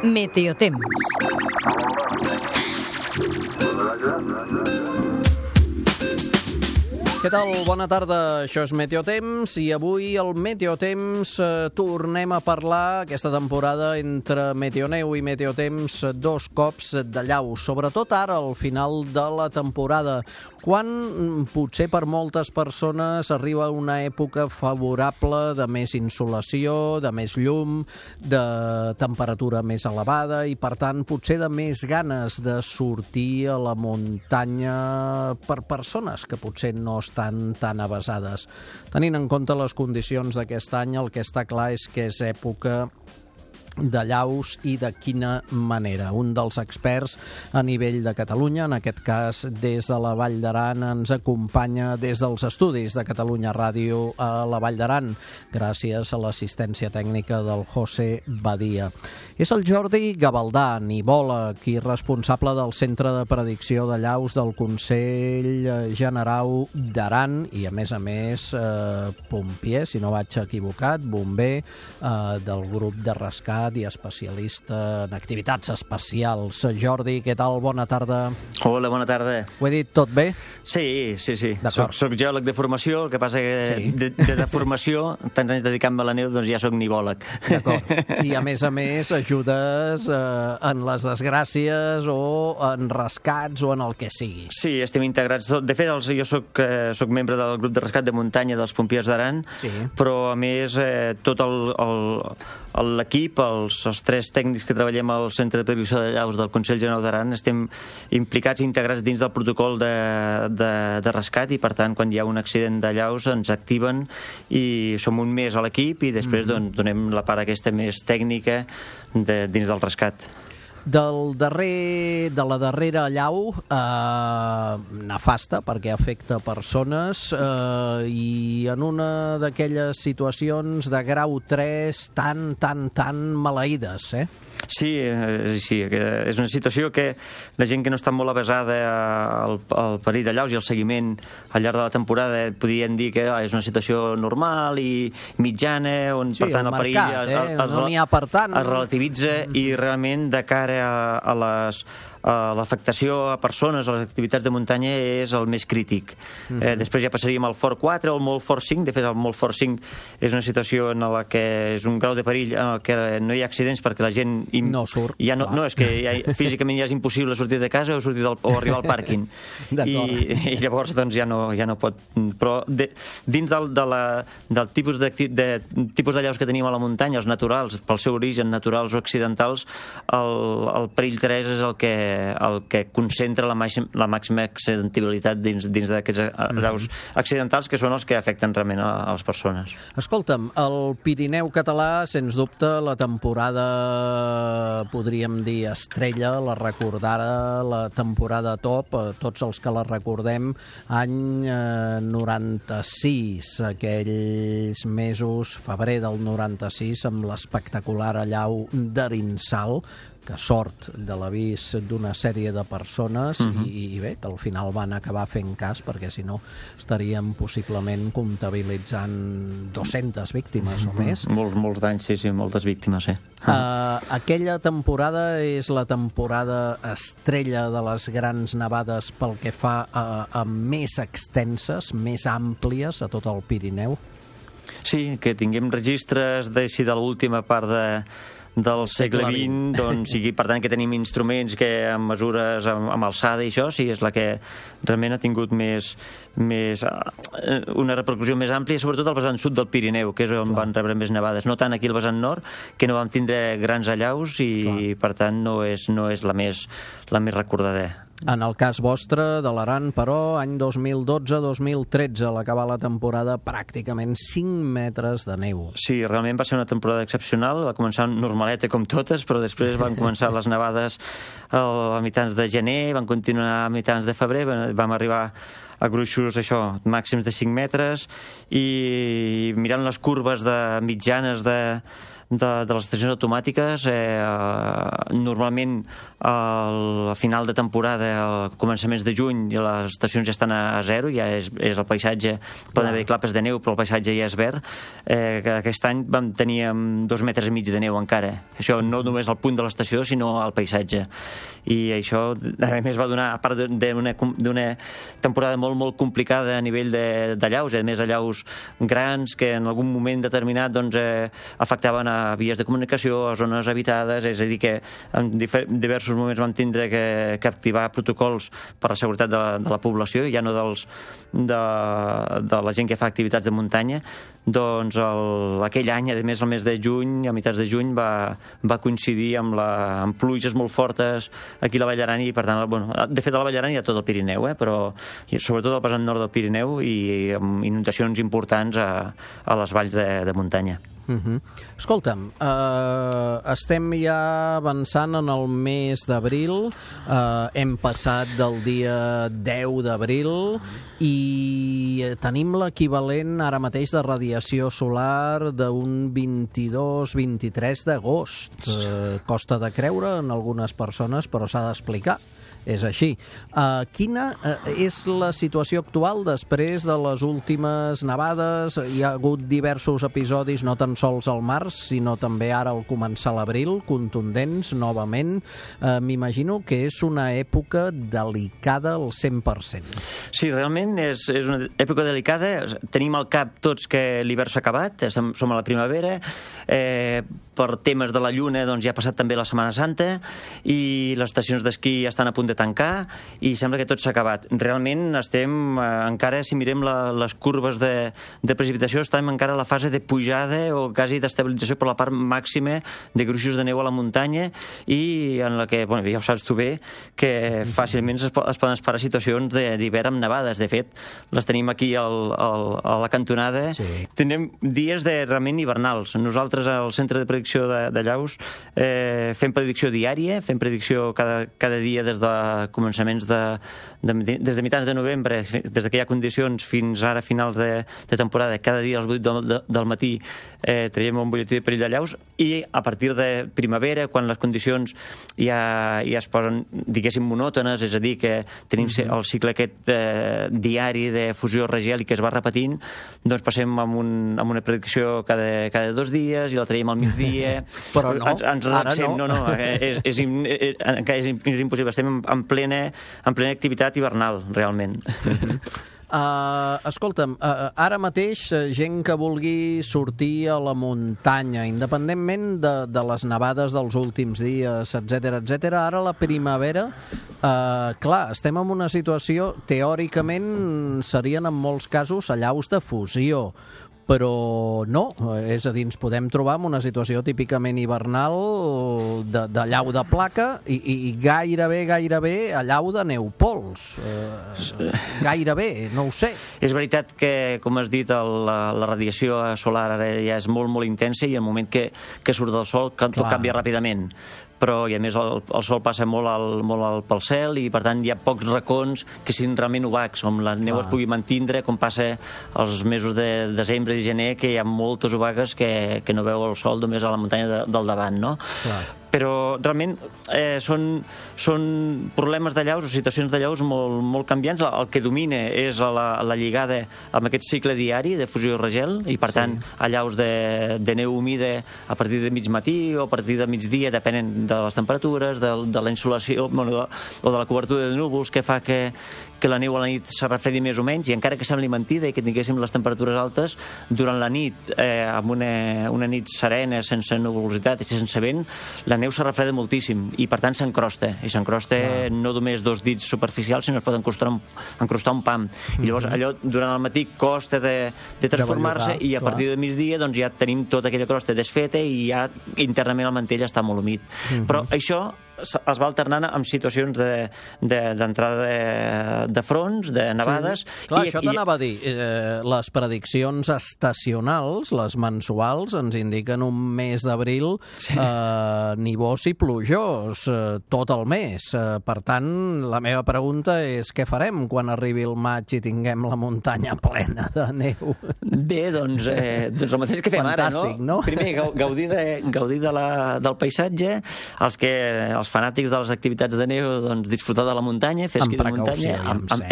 Meteotemps. Què tal? Bona tarda, això és Meteotemps i avui al Meteotemps tornem a parlar aquesta temporada entre Meteoneu i Meteotemps dos cops de llau, sobretot ara al final de la temporada, quan potser per moltes persones arriba una època favorable de més insolació, de més llum, de temperatura més elevada i per tant potser de més ganes de sortir a la muntanya per persones que potser no estan tan avesades. Tenint en compte les condicions d'aquest any, el que està clar és que és època de llaus i de quina manera. Un dels experts a nivell de Catalunya, en aquest cas des de la Vall d'Aran, ens acompanya des dels estudis de Catalunya Ràdio a la Vall d'Aran, gràcies a l'assistència tècnica del José Badia. És el Jordi Gavaldà, nivòleg i responsable del Centre de Predicció de Llaus del Consell Generau d'Aran i, a més, pompier, si no vaig equivocat, bomber del grup de rescat i especialista en activitats especials. Jordi, què tal? Bona tarda. Hola, bona tarda. Ho he dit tot bé? Sí. Soc geòleg de formació, el que passa que de formació, tants anys dedicant-me a la neu, doncs ja soc nivòleg. D'acord. I a més, ajudes en les desgràcies o en rescats o en el que sigui. Sí, estem integrats. De fet, jo soc membre del grup de rescat de muntanya dels pompiers d'Aran, però a més tot l'equip, els tres tècnics que treballem al Centre de Predicció de Llaus del Consell Generau d'Aran estem implicats i integrats dins del protocol de rescat i per tant quan hi ha un accident de llaus ens activen i som un més a l'equip i després donem la part aquesta més tècnica dins del rescat. De la darrera llau nefasta perquè afecta persones i en una d'aquelles situacions de grau 3 tan maleïdes, Sí, és una situació que la gent que no està molt avesada al perill de llaus i al seguiment al llarg de la temporada podrien dir que és una situació normal i mitjana, on per tant el perill es relativitza i realment de cara a l'afectació a persones, a les activitats de muntanya és el més crític. Després ja passaríem al Fort 4 o al molt Fort 5. De fet, el molt Fort 5 és una situació en la que és un grau de perill en el que no hi ha accidents perquè la gent no surt. No, és que físicament ja és impossible sortir de casa o arribar al pàrquing. I llavors doncs ja no pot. Però dins del tipus de llaus que tenim a la muntanya, els naturals, pel seu origen, naturals o accidentals, el perill 3 és el que concentra la màxima accidentabilitat dins d'aquests llaus accidentals que són els que afecten realment a les persones. Escolta'm, el Pirineu català, sens dubte, la temporada, podríem dir, estrella, la recordara, la temporada top, tots els que la recordem, any 96, aquells mesos, febrer del 96, amb l'espectacular allau d'Arinsal, que sort de l'avís d'una sèrie de persones i bé, que al final van acabar fent cas perquè si no estaríem possiblement comptabilitzant 200 víctimes o més. Molts danys, sí, moltes víctimes, Aquella temporada és la temporada estrella de les grans nevades pel que fa a més extenses, més àmplies a tot el Pirineu? Sí, que tinguem registres de l'última part del segle XX, doncs, per tant que tenim instruments que amb mesures amb alçada i això, sí, és la que realment ha tingut una repercussió més àmplia, sobretot al vessant sud del Pirineu, que és on van rebre més nevades, no tant aquí al vessant nord, que no vam tindre grans allaus i per tant no és la més recordada. En el cas vostre, de l'Aran, però, any 2012-2013, a l'acabar la temporada, pràcticament 5 metres de neu. Sí, realment va ser una temporada excepcional, va començar normaleta com totes, però després van començar les nevades a mitjans de gener, van continuar a mitjans de febrer, vam arribar a gruixos, això, màxims de 5 metres, i mirant les curves mitjanes de les estacions automàtiques, normalment a final de temporada, a començaments de juny, les estacions ja estan a zero, ja és el paisatge, poden haver clapes de neu, però el paisatge ja és verd. Aquest any teníem 2 metres i mig de neu encara. Això no només al punt de l'estació, sinó al paisatge. I això, a més, va donar, a part d'una temporada molt, molt complicada a nivell d'allaus, a més allaus grans que en algun moment determinat afectaven a vies de comunicació, a zones habitades, és a dir, que en diversos moments vam tindre que activar protocols per a la seguretat de la població, ja no de la gent que fa activitats de muntanya. Doncs aquell any, a més, el mes de juny, a meitats de juny, va coincidir amb pluges molt fortes aquí a la Vall d'Aran, i per tant, de fet a la Vall d'Aran hi ha tot el Pirineu, però sobretot al vessant nord del Pirineu, i amb inundacions importants a les valls de muntanya. Escolta'm, estem ja avançant en el mes d'abril, hem passat del dia 10 d'abril i tenim l'equivalent ara mateix de radiació solar d'un 22-23 d'agost. Costa de creure en algunes persones, però s'ha d'explicar. És així. Quina és la situació actual després de les últimes nevades? Hi ha hagut diversos episodis, no tan sols al març, sinó també ara al començar l'abril, contundents, novament. M'imagino que és una època delicada al 100%. Sí, realment és una època delicada. Tenim al cap tots que l'hivern s'ha acabat, som a la primavera, per temes de la lluna ja ha passat també la Setmana Santa, i les estacions d'esquí ja estan a punt de tancar, i sembla que tot s'ha acabat. Realment estem encara, si mirem les curves de precipitació, estem encara a la fase de pujada o quasi d'estabilització per la part màxima de gruixos de neu a la muntanya, i en la que, ja ho saps tu bé, que fàcilment es poden esperar situacions d'hivern amb nevades. De fet, les tenim aquí a la cantonada. Sí. Tenim dies realment hivernals. Nosaltres al Centre de Predicció de Llaus fem predicció diària, fem predicció cada dia des de començaments des de mitjans de novembre, des que hi ha condicions fins ara finals de temporada. Cada dia a les 8 del matí traiem un butlletí de perill de llaus, i a partir de primavera, quan les condicions ja es posen, diguéssim, monòtones, és a dir, que tenim el cicle aquest diari de fusió regel i que es va repetint, doncs passem amb una predicció cada 2 dies, i la traiem al migdia. Però no, ens relaxem. No, és impossible. Estem en plena activitat hivernal, realment. Escolta'm, ara mateix gent que vulgui sortir a la muntanya, independentment de les nevades dels últims dies, etc., ara la primavera, clar, estem en una situació, teòricament serien en molts casos allaus de fusió, però no, és a dir, ens podem trobar en una situació típicament hivernal de llau de placa i gairebé allau de neupols. Gairebé, no ho sé. És veritat que, com has dit, la radiació solar ara ja és molt, molt intensa, i el moment que surt del sol tot canvia ràpidament. Però, i a més, el sol passa molt pel cel, i per tant hi ha pocs racons que siguin realment obacs, on la neu es pugui mantindre, com passa als mesos de desembre i gener, que hi ha moltes obagues que no veu el sol només a la muntanya del davant, no? Clar. Però realment són problemes de llaus o situacions de llaus molt, molt canviants. El que domina és la lligada amb aquest cicle diari de fusió regel, i per tant allaus de neu humida a partir de mig matí o a partir de migdia, depenent de les temperatures, de la insolació o de la cobertura de núvols, que fa que la neu a la nit se refredi més o menys, i encara que sembli mentida i que tinguéssim les temperatures altes, durant la nit, amb una nit serena, sense nuvolositat i sense vent, la neu se refreda moltíssim, i per tant s'encrosta, i s'encrosta no només 2 dits superficials, sinó es pot encrostar un pam, i llavors allò durant el matí costa de transformar-se, i a partir de migdia ja tenim tota aquella crosta desfeta, i ja internament el mantell està molt humit. Però això es va alternant amb situacions d'entrada de fronts, de nevades. Clar, això t'anava a dir. Les prediccions estacionals, les mensuals, ens indiquen un mes d'abril nivós i plujós tot el mes. Per tant, la meva pregunta és què farem quan arribi el maig i tinguem la muntanya plena de neu? Bé, doncs el mateix que fem ara, no? Primer, gaudir del paisatge, els fanàtics de les activitats de neu, doncs disfrutar de la muntanya, fer esquí de muntanya,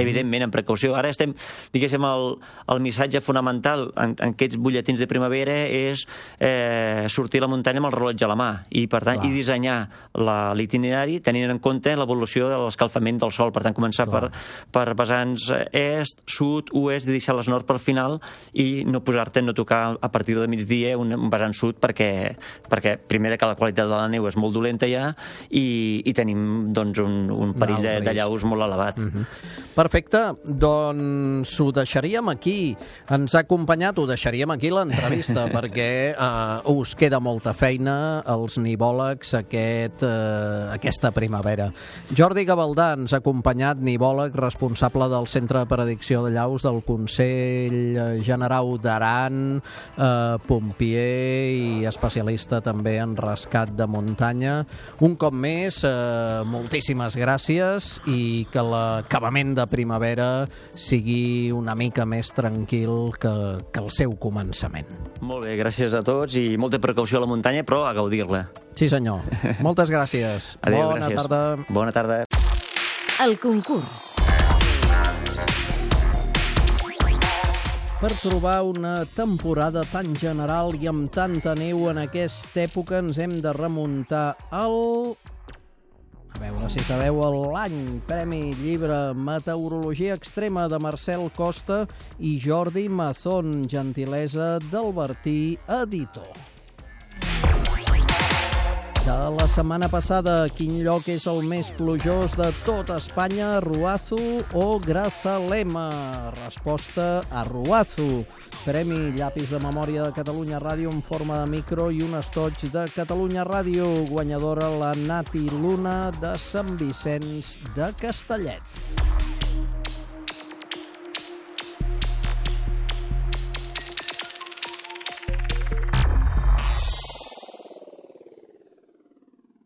evidentment amb precaució. Ara estem, diguéssim, el missatge fonamental en aquests butlletins de primavera és sortir a la muntanya amb el rellotge a la mà i, per tant, dissenyar l'itinerari tenint en compte l'evolució de l'escalfament del sol. Per tant, començar per vessants est, sud, oest i deixar les nord per final i no tocar a partir de migdia un vessant sud perquè primer que la qualitat de la neu és molt dolenta ja i tenim doncs un perill de llaus molt elevat. Perfecte, doncs ho deixaríem aquí. Ens ha acompanyat, ho deixaríem aquí l'entrevista perquè us queda molta feina als nivòlegs aquesta primavera. Jordi Gavaldà ens ha acompanyat, nivòleg responsable del Centre de Predicció de Llaus del Consell Generau d'Aran, pompier i especialista també en rescat de muntanya. Un cop més, moltíssimes gràcies i que l'acabament de primavera sigui una mica més tranquil que el seu començament. Molt bé, gràcies a tots i molta precaució a la muntanya, però a gaudir-la. Sí, senyor. Moltes gràcies. Adéu, Bona gràcies. tarda. Bona tarda. El concurs. Per trobar una temporada tan general i amb tanta neu en aquesta època ens hem de remuntar al... A veure si sabeu l'any. Premi Llibre Meteorologia Extrema de Marcel Costa i Jordi Mazón, gentilesa d'Albertí Editor. De la setmana passada, quin lloc és el més plujós de tot Espanya, Ruazu o Grazalema? Resposta a Ruazu. Premi Llapis de Memòria de Catalunya Ràdio en forma de micro i un estoig de Catalunya Ràdio. Guanyadora la Nati Luna de Sant Vicenç de Castellet.